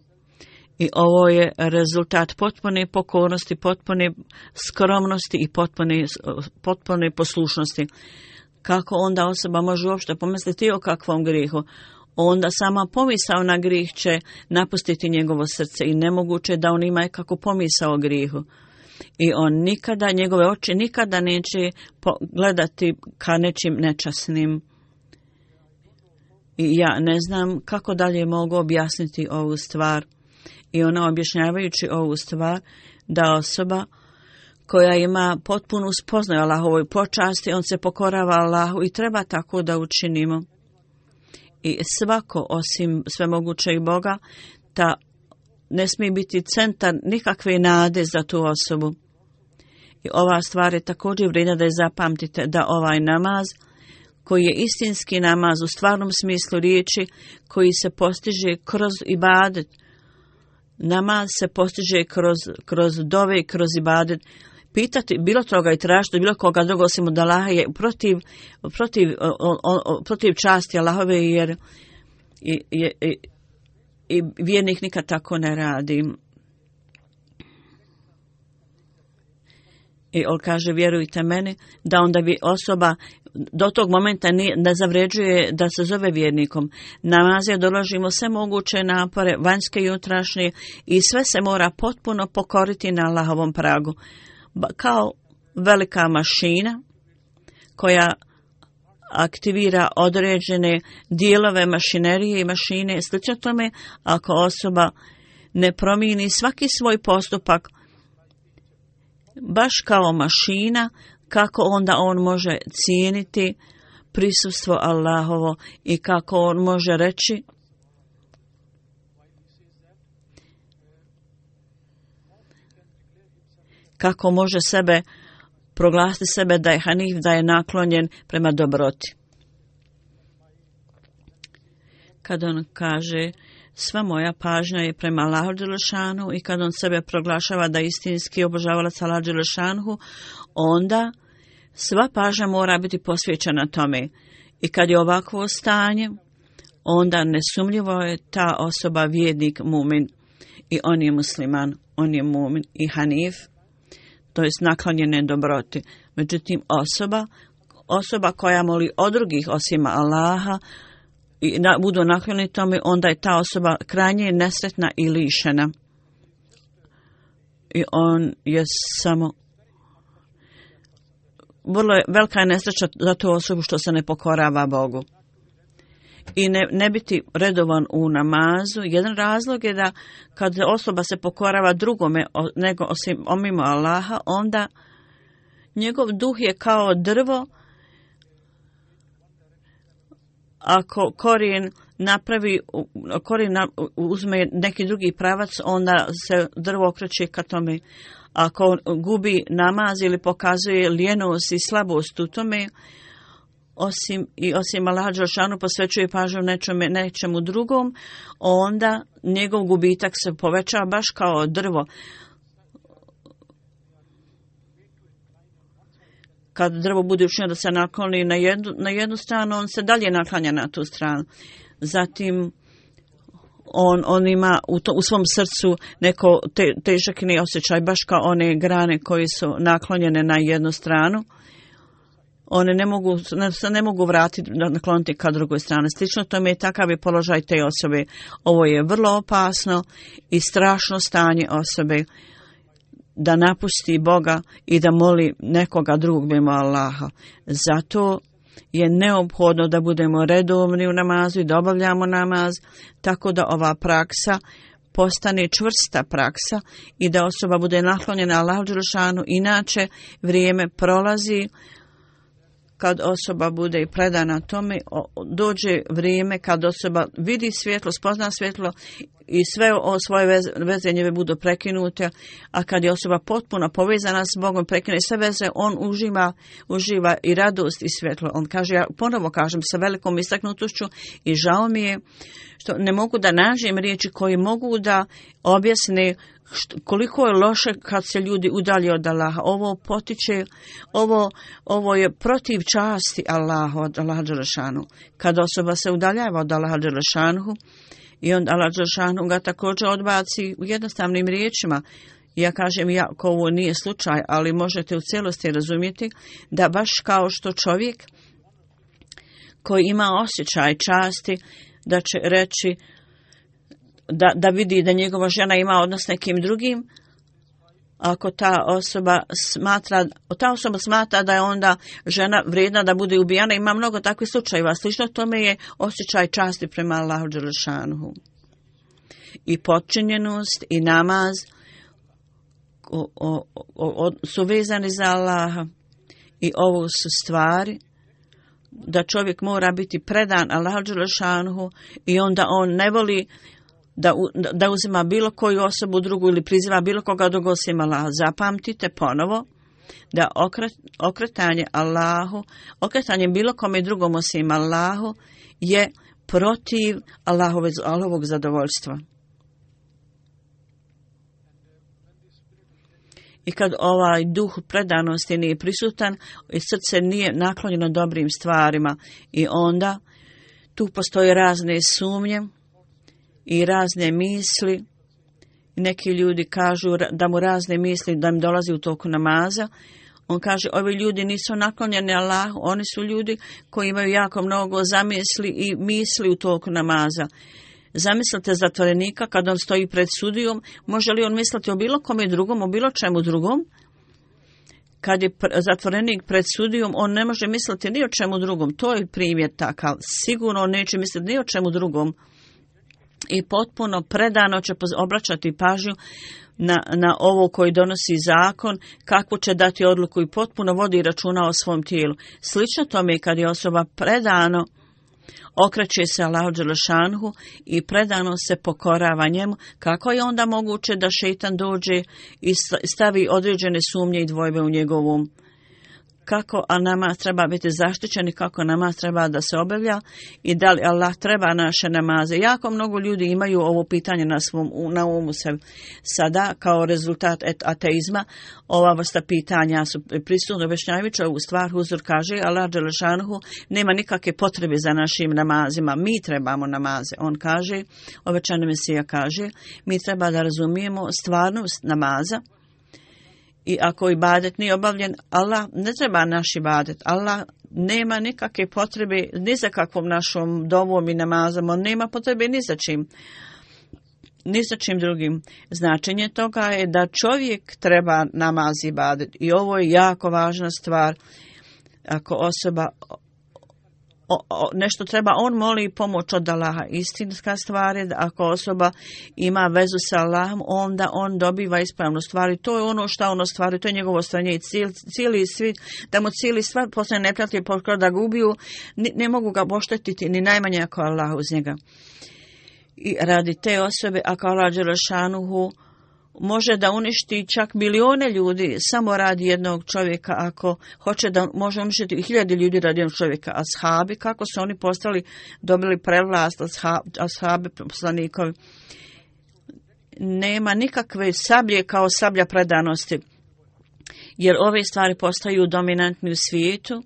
I ovo je rezultat potpune pokornosti, potpune skromnosti i potpune poslušnosti. Kako onda osoba može uopšte pomisliti o kakvom grijehu? Onda sama pomisao na grijeh će napustiti njegovo srce i nemoguće da on ima kako pomisao o grijehu. I njegove oči nikada neće gledati ka nečim nečasnim. I ja ne znam kako dalje mogu objasniti ovu stvar. I ona objašnjavajući ovu stvar, da osoba koja ima potpunu spoznaju Allahovoj počasti, on se pokorava Allahu i treba tako da učinimo. I svako osim svemogućeg Boga, ta ne smije biti centar nikakve nade za tu osobu. I ova stvar je također vrijedna da je zapamtite, da ovaj namaz, koji je istinski namaz u stvarnom smislu riječi, koji se postiže kroz ibadet, namaz se postiže kroz dove i kroz ibadet. Pitati bilo toga i tražiti bilo koga drugo osim od Allaha je protiv časti Allahove, jer i vjernik nikad tako ne radi. I on kaže, vjerujte meni, da onda bi osoba do tog momenta ne zavređuje da se zove vjernikom. Namazija doložimo sve moguće napore, vanjske i unutrašnje, i sve se mora potpuno pokoriti na Allahovom pragu. Kao velika mašina koja aktivira određene dijelove mašinerije i mašine. Slično tome, ako osoba ne promijeni svaki svoj postupak, baš kao mašina, kako onda on može cijeniti prisustvo Allahovo i kako on može reći kako može sebe proglasiti sebe da je Hanif, da je naklonjen prema dobroti. Kad on kaže sva moja pažnja je prema Allahu dželešanu i kad on sebe proglašava da je istinski obožavalac Allahu dželešanu, onda sva pažnja mora biti posvećena tome. I kad je ovakvo stanje, onda nesumnjivo je ta osoba vjernik, mumin i on je musliman, on je mumin i Hanif, to jest naklonjene dobroti. Međutim, osoba koja moli od drugih osim Allaha i budu naklonjeni tome, onda je ta osoba krajnje nesretna i lišena. I on je samo vrlo velika je nesreća za tu osobu što se ne pokorava Bogu. I ne biti redovan u namazu. Jedan razlog je da kad osoba se pokorava drugome nego osim mimo Allaha, onda njegov duh je kao drvo. Ako korijen uzme neki drugi pravac, onda se drvo okreće ka tome. Ako gubi namaz ili pokazuje lijenost i slabost u tome, osim Allaha dželešanu posvećuje pažnju nečemu drugom, onda njegov gubitak se povećava baš kao drvo. Kad drvo bude učinjeno da se nakloni na jednu stranu, on se dalje naklanja na tu stranu. Zatim on ima u svom srcu neko težak osjećaj, baš kao one grane koje su naklonjene na jednu stranu. One ne mogu vratiti, nakloniti ka drugoj strani. Slično tome je takav je položaj te osobe. Ovo je vrlo opasno i strašno stanje osobe da napusti Boga i da moli nekoga drugog mimo Allaha. Zato je neophodno da budemo redovni u namazu i da obavljamo namaz, tako da ova praksa postane čvrsta praksa i da osoba bude naklonjena Allahu dželešanu. Inače, vrijeme prolazi, kad osoba bude predana tome, dođe vrijeme kad osoba vidi svjetlo, spozna svjetlo i sve svoje veze njeve budu prekinute, a kad je osoba potpuno povezana s Bogom, prekine sve veze, on uživa i radost i svjetlo. On kaže, ja ponovo kažem sa velikom istaknutošću i žao mi je što ne mogu da nađem riječi koje mogu da objasne koliko je loše kad se ljudi udalje od Allaha. Ovo potiče, ovo je protiv časti Allaha, od Allaha dželešanu. Kad osoba se udaljava od Allaha dželešanu i onda Allah dželešanu ga također odbaci u jednostavnim riječima. Ja kažem, ako ovo nije slučaj, ali možete u cijelosti razumjeti da baš kao što čovjek koji ima osjećaj časti da će reći da vidi da njegova žena ima odnos s nekim drugim, ako ta osoba smatra da je onda žena vrijedna da bude ubijana, ima mnogo takvih slučajeva. Slično tome je osjećaj časti prema Allahu dželešanuhu. I potčinjenost i namaz su vezani za Allaha i ovo su stvari da čovjek mora biti predan Allahu dželešanuhu i onda on ne voli da uzima bilo koju osobu drugu ili priziva bilo koga drugog osim Allaha. Zapamtite ponovo da okretanje bilo kome drugom osim Allahu je protiv Allahovog zadovoljstva. I kad ovaj duh predanosti nije prisutan i srce nije naklonjeno dobrim stvarima, i onda tu postoje razne sumnje i razne misli. Neki ljudi kažu da mu razne misli da im dolazi u toku namaza. On kaže, ovi ljudi nisu naklonjeni Allahu, oni su ljudi koji imaju jako mnogo zamisli i misli u toku namaza. Zamislite zatvorenika kad on stoji pred sudijom, može li on misliti o bilo kome drugom, o bilo čemu drugom? Kad je zatvorenik pred sudijom, on ne može misliti ni o čemu drugom. To je primjer takav. Sigurno on neće misliti ni o čemu drugom. I potpuno predano će obraćati pažnju na ovo koji donosi zakon, kako će dati odluku i potpuno vodi računa o svom tijelu. Slično tome kad je osoba predano okreće se Allahu dželešanhu i predano se pokorava njemu, kako je onda moguće da šejtan dođe i stavi određene sumnje i dvojbe u njegovom kako namaz treba biti zaštićen i kako namaz treba da se obavlja i da li Allah treba naše namaze. Jako mnogo ljudi imaju ovo pitanje na umu se sada kao rezultat ateizma. Ova vrsta pitanja su prisutno objašnjavajući ovu stvar. Huzur kaže, Allah dželešanhu nema nikakve potrebe za našim namazima. Mi trebamo namaze. On kaže, obećani Mesija kaže, mi treba da razumijemo stvarnost namaza. I ako ibadet nije obavljen, Allah ne treba naš ibadet. Allah nema nikakve potrebe ni za kakvom našom dovom i namazom. On nema potrebe ni za čim. Ni za čim drugim. Značenje toga je da čovjek treba namaz i ibadet. I ovo je jako važna stvar. Ako osoba nešto treba, on moli pomoć od Allaha. Istinska stvar je da ako osoba ima vezu sa Allahom, onda on dobiva ispravnu stvar. I to je ono što on ostvari, to je njegovo ostvarenje. I cijeli svi, da mu cijeli stvar postane neprijatelj, da ga ubiju, ne mogu ga oštetiti, ni najmanje ako Allah uz njega. I radi te osobe, ako Allah dželešanuhu može da uništi čak milione ljudi samo radi jednog čovjeka, ako hoće da može uništiti 1000 ljudi radi jednog čovjeka. Ashabi, kako su oni dobili prevlast, ashabi poslanikovi. Nema nikakve sablje kao sablja predanosti, jer ove stvari postaju dominantni u svijetu,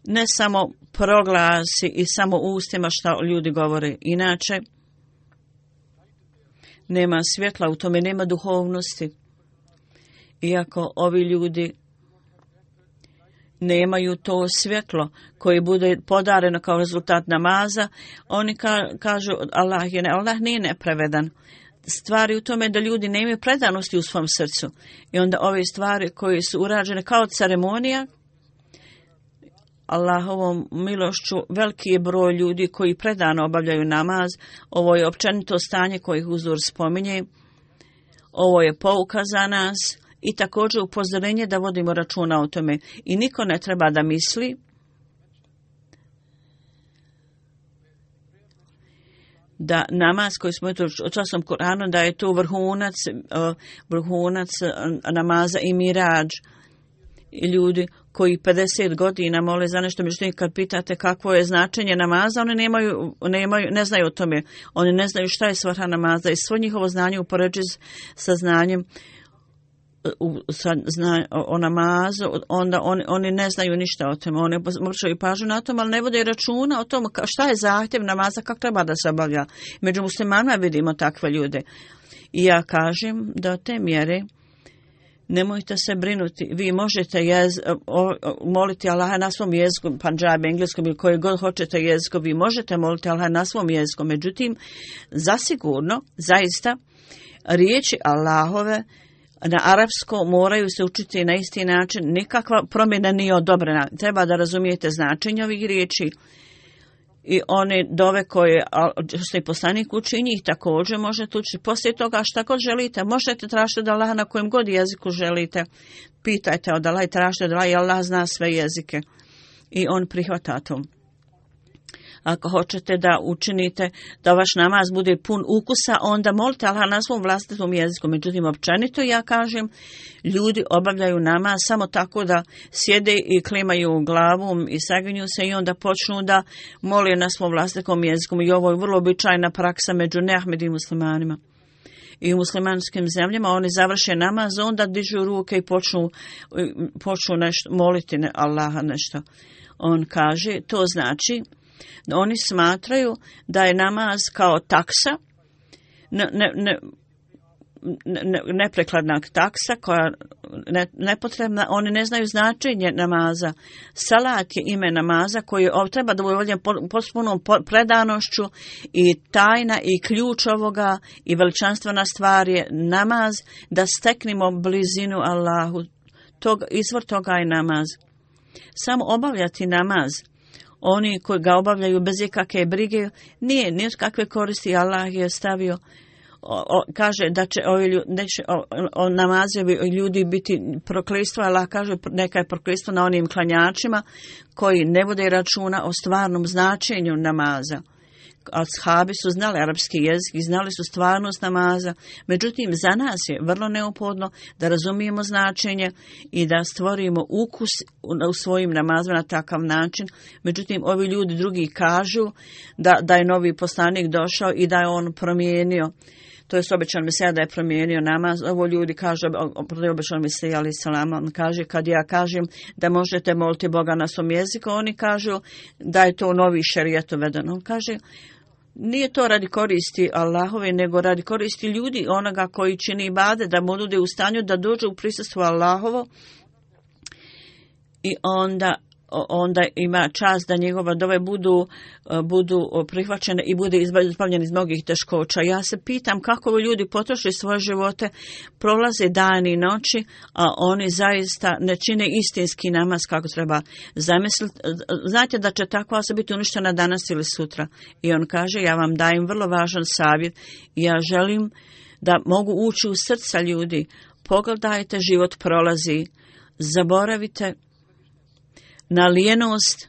ne samo proglasi i samo ustima što ljudi govore. Inače, nema svjetla, u tome nema duhovnosti. Iako ovi ljudi nemaju to svjetlo koje bude podareno kao rezultat namaza, oni kažu Allah nije nepravedan. Stvari u tome da ljudi nemaju predanosti u svom srcu. I onda ove stvari koje su urađene kao ceremonija, Allahovom milošću veliki je broj ljudi koji predano obavljaju namaz. Ovo je općenito stanje koje Huzur spominje. Ovo je pouka za nas i također upozorenje da vodimo računa o tome. I niko ne treba da misli da namaz koji smo časom Kur'anu, da je to vrhunac namaza i mirađ. I ljudi koji 50 godina mole za nešto, međutim kad pitate kakvo je značenje namaza, oni ne znaju o tome. Oni ne znaju šta je svrha namaza i svo njihovo znanje upoređuje sa znanjem o namazu, onda oni ne znaju ništa o tome. Oni obraćaju pažnju na tom, ali ne vode računa o tom šta je zahtjev namaza, kako treba da se obavlja. Među muslimanima vidimo takve ljude. I ja kažem da te mjere nemojte se brinuti. Vi možete moliti Allaha na svom jeziku, pandžabi, engleskom ili koje god hoćete jeziku, vi možete moliti Allaha na svom jeziku. Međutim, zasigurno, zaista, riječi Allahove na arapsko moraju se učiti na isti način. Nikakva promjena nije odobrena. Treba da razumijete značenje ovih riječi. I one dove koje što je poslanik uči, i njih također možete učiti. Poslije toga šta god želite, možete tražiti od Allaha na kojem god jeziku želite. Pitajte od Allaha i tražite od Allaha i Allah zna sve jezike. I on prihvata to. Ako hoćete da učinite da vaš namaz bude pun ukusa, onda molite Allaha na svom vlastitom jeziku. Međutim, općenito ja kažem, ljudi obavljaju namaz samo tako da sjede i klimaju glavom i saginju se i onda počnu da mole na svom vlastitom jeziku. I ovo je vrlo običajna praksa među neahmedim muslimanima. I u muslimanskim zemljama oni završe namaz, onda dižu ruke i počnu nešto, moliti Allaha nešto. On kaže, to znači oni smatraju da je namaz kao taksa, neprekladna taksa koja nepotrebna. Oni ne znaju značenje namaza. Salat je ime namaza koji treba da bude obavljen potpunom predanošću i tajna i ključ ovoga i veličanstvena stvar je namaz, da steknemo blizinu Allahu. Izvor toga je namaz. Samo obavljati namaz, oni koji ga obavljaju bez ikakve brige, nije kakve koristi. Allah je stavio kaže da će namazevi ljudi biti prokletstvo, Allah kaže neka je prokletstvo na onim klanjačima koji ne vode računa o stvarnom značenju namaza. Ashabi su znali arapski jezik i znali su stvarnost namaza, međutim za nas je vrlo neophodno da razumijemo značenje i da stvorimo ukus u svojim namazima na takav način. Međutim, ovi ljudi drugi kažu da je novi poslanik došao i da je on promijenio. To je obećan Mesija da je promijenio namaz. Ovo ljudi kažu, obećan Mesija alaih salam, on kaže kad ja kažem da možete moliti Boga na svom jeziku, oni kažu da je to novi šerijet uvedeno. On kaže nije to radi koristi Allahove, nego radi koristi ljudi, onoga koji čini ibadet, da mu bude u stanju da dođe u prisustvo Allahovo i onda ima čast da njegova dove budu prihvaćene i bude izbavljeni iz mnogih teškoća. Ja se pitam kako ljudi potroše svoje živote, prolaze dani i noći, a oni zaista ne čine istinski namaz kako treba zamisliti. Znate da će takva osoba biti uništena danas ili sutra. I on kaže, ja vam dajem vrlo važan savjet i ja želim da mogu ući u srca ljudi. Pogledajte, život prolazi, zaboravite na lijenost,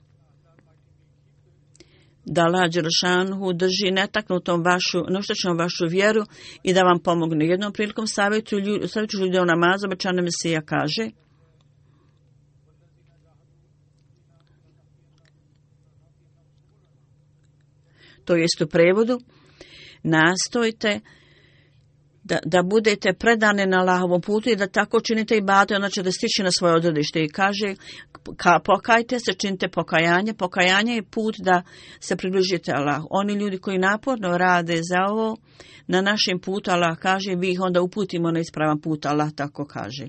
da Allah dželešanu drži netaknutom noštećnom vašu vjeru i da vam pomogne. Jednom prilikom savjetu ljudi o namazu, obećani Mesija kaže to jest u prevodu, nastojte da budete predani na Allahovom putu i da tako činite ibadet, onda ćete stići na svoje odredište. I kaže, pokajte se, činite pokajanje. Pokajanje je put da se približite Allahu. Oni ljudi koji naporno rade za ovo, na našem putu, Allah kaže, vi ih onda uputimo na ispravan put, Allah tako kaže.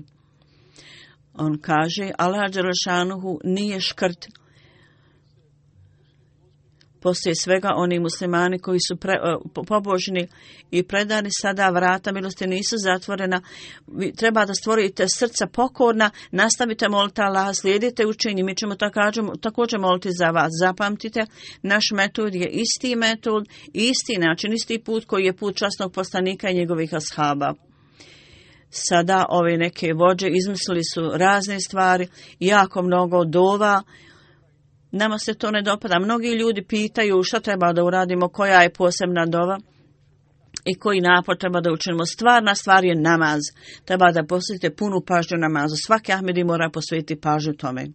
On kaže, Allah dželešanuhu nije škrt. Poslije svega oni muslimani koji su pobožni i predani, sada vrata milosti nisu zatvorena. Treba da stvorite srca pokorna, nastavite moliti Allaha, slijedite učenje. Mi ćemo također moliti za vas. Zapamtite, naš metod je isti metod, isti način, isti put koji je put časnog poslanika i njegovih ashaba. Sada ove neke vođe izmislili su razne stvari, jako mnogo dova. Nama se to ne dopada. Mnogi ljudi pitaju šta treba da uradimo, koja je posebna dova i koji napor treba da učinimo. Stvarna stvar je namaz. Treba da posvetite punu pažnju namazu. Svaki Ahmedi mora posvetiti pažnju tome.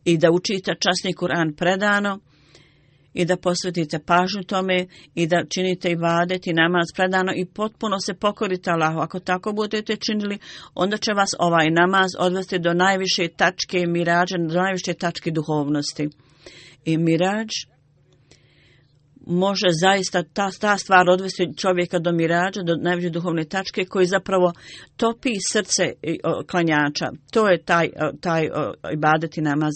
I da učite časni Kur'an predano i da posvetite pažnju tome i da činite ibadet i namaz predano i potpuno se pokorite Allahu. Ako tako budete činili, onda će vas ovaj namaz odvesti do najviše tačke mirađa, do najviše tačke duhovnosti. I mirađ može zaista ta stvar odvesti čovjeka do mirađa, do najviše duhovne tačke koji zapravo topi srce klanjača. To je taj ibadet i namaz.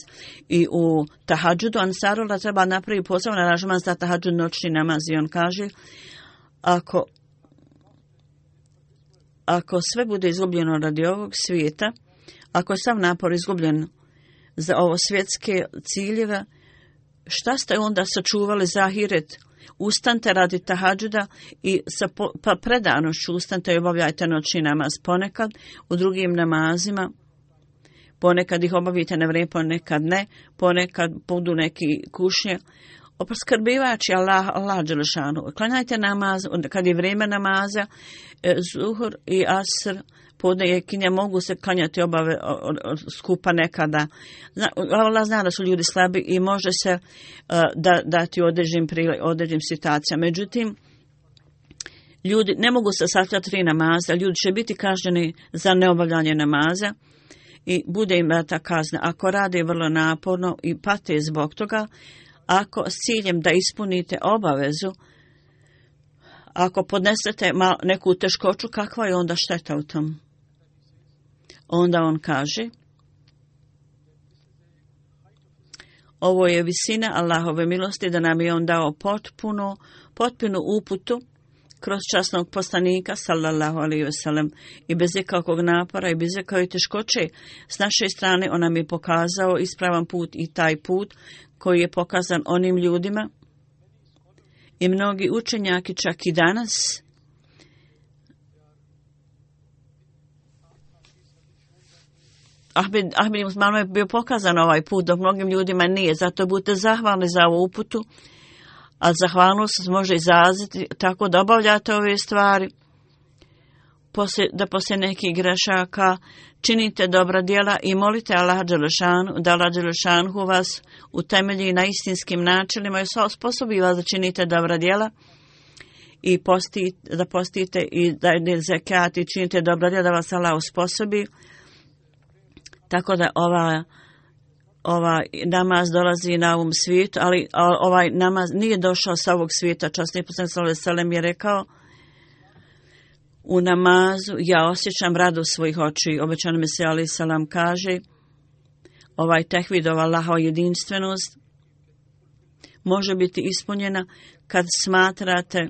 I u tahadžudu Ansarullah treba napraviti poseban aranžman za tahadžud, noćni namaz. I on kaže, ako sve bude izgubljeno radi ovog svijeta, ako je sav napor izgubljen za ovo svjetske ciljeve, šta ste onda sačuvali za ahiret? Ustanite radi tahadžuda i sa predanošću ustanite i obavljajte noćni namaz. Ponekad u drugim namazima, ponekad ih obavite na vrijeme, ponekad ne, ponekad budu neki kušnje. Opskrbivači Allah dželešanu. Klanjajte namaz, kad je vrijeme namaza, zuhur i asr, podne i kinja mogu se klanjati obave skupa nekada. Allah zna da su ljudi slabi i može se dati određenim situacijama. Međutim, ljudi ne mogu se sastavljati 3 namaza, ljudi će biti kažnjeni za neobavljanje namaza i bude im data kazna. Ako rade vrlo naporno i pate zbog toga, ako s ciljem da ispunite obavezu, ako podnesete neku teškoću, kakva je onda šteta u tom? Onda on kaže, ovo je visina Allahove milosti da nam je on dao potpunu uputu kroz časnog poslanika sallallahu alejhi ve sellem i bez ikakvog napora i bez ikakve teškoće s naše strane on nam je pokazao ispravan put i taj put koji je pokazan onim ljudima I mnogi učenjaki čak i danas Ahmed Musmanima je bio pokazan ovaj put, dok mnogim ljudima nije. Zato budete zahvalni za ovu uputu, a zahvalnost može izraziti tako da obavljate ove stvari, da poslije nekih grešaka činite dobra djela i molite Allaha dželešanu, da Allah dželešanu vas utemelji na istinskim načelima i osposobi vas da činite dobra djela i da postite i da zekat i činite dobra djela, da vas Allah osposobi. Tako da ova namaz dolazi na ovom svijetu, ali ovaj namaz nije došao sa ovog svijeta. Časni poslanik sallallahu alejhi ve sellem je rekao: u namazu ja osjećam radost svojih očiju. Obećani Mesija alejhi selam kaže: ovaj tehvid, ova Allahova jedinstvenost može biti ispunjena kad smatrate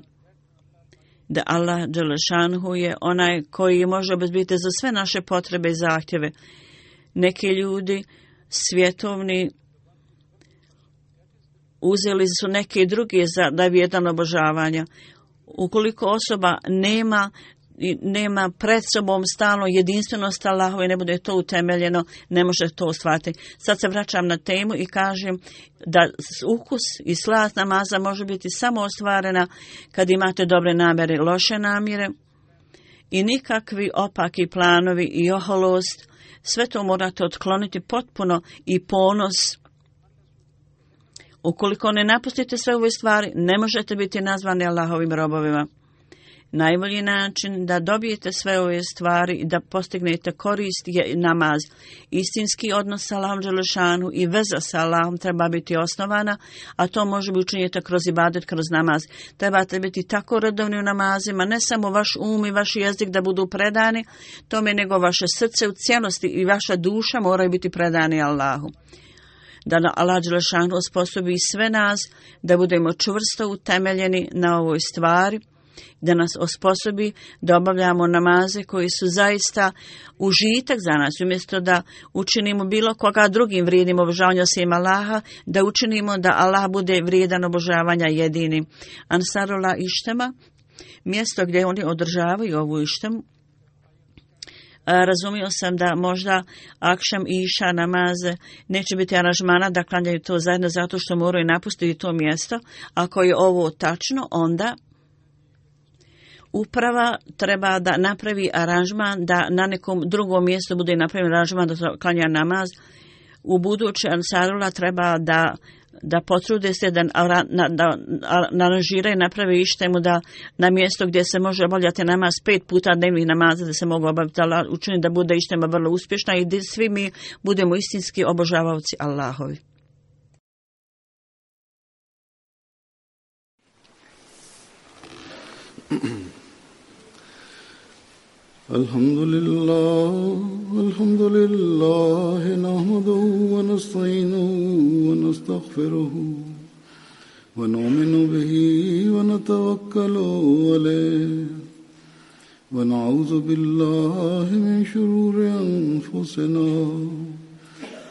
da Allah dželešanhu je onaj koji može obezbiti za sve naše potrebe i zahtjeve. Neki ljudi svjetovni uzeli su neke druge za vrijedan obožavanja. Ukoliko osoba nema pred sobom stalno jedinstvenost Allahove, ne bude to utemeljeno, ne može to ostvariti. Sad se vraćam na temu i kažem da ukus i slast namaza može biti samo ostvarena kad imate dobre namjere, loše namjere i nikakvi opaki planovi i oholost. Sve to morate otkloniti potpuno i ponos. Ukoliko ne napustite sve ove stvari, ne možete biti nazvani Allahovim robovima. Najbolji način da dobijete sve ove stvari i da postignete korist je namaz. Istinski odnos sa Allahom dželešanu i veza sa Allahom treba biti osnovana, a to može biti učinjeti kroz ibadet, kroz namaz. Trebate biti tako redovni u namazima, ne samo vaš um i vaš jezik da budu predani tome, nego vaše srce u cijelosti i vaša duša moraju biti predani Allahu. Da Allah dželešanu osposobi sve nas da budemo čvrsto utemeljeni na ovoj stvari, da nas osposobi da obavljamo namaze koji su zaista užitak za nas, umjesto da učinimo bilo koga drugim vrijednim obožavanja osim Allaha, da učinimo da Allah bude vrijedan obožavanja jedini. Ansarullah Ištema, mjesto gdje oni održavaju ovu ištemu, razumio sam da možda akšam i iša namaze neće biti aranžmana da klanjaju to zajedno zato što moraju napustiti to mjesto. Ako je ovo tačno, onda uprava treba da napravi aranžman da na nekom drugom mjestu bude napravljen aranžman da klanja namaz. U buduće Ansarullah treba da potrude se da aranžiraju, napravi ištemu da na mjesto gdje se može obavljati namaz 5 puta dnevnih namaza da se mogu obaviti, učini da bude ištema vrlo uspješna i da svi mi budemo istinski obožavaoci Allahovi. Alhamdulillah, nahmaduhu wa nasta'inuhu wa nastaghfiruhu wa nu'minu bihi wa natawakkalu alayhi wa na'udhu billahi min shururi anfusina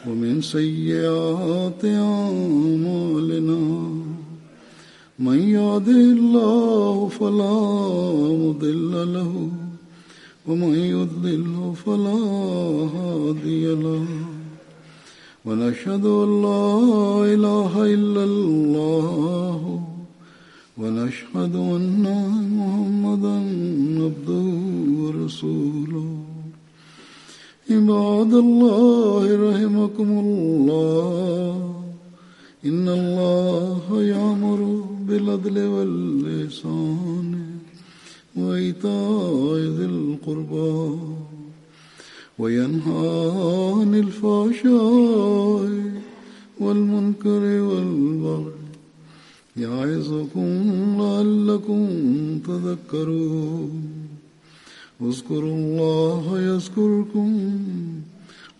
wa min sayyiati a'malina. Man yahdihillahu fala mudilla lahu ومن يضلل فلا هادي له ونشهد أن لا إله إلا الله ونشهد أن محمدا عبده ورسوله. عباد الله رحمكم الله إن الله يأمر بالعدل والإحسان وإيتاء ذي القربى وينهى عن الفحشاء والمنكر والبغي يعظكم لعلكم تذكرون. اذكروا الله يذكركم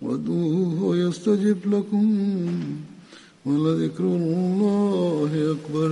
وادعوه يستجب لكم ولذكر الله أكبر.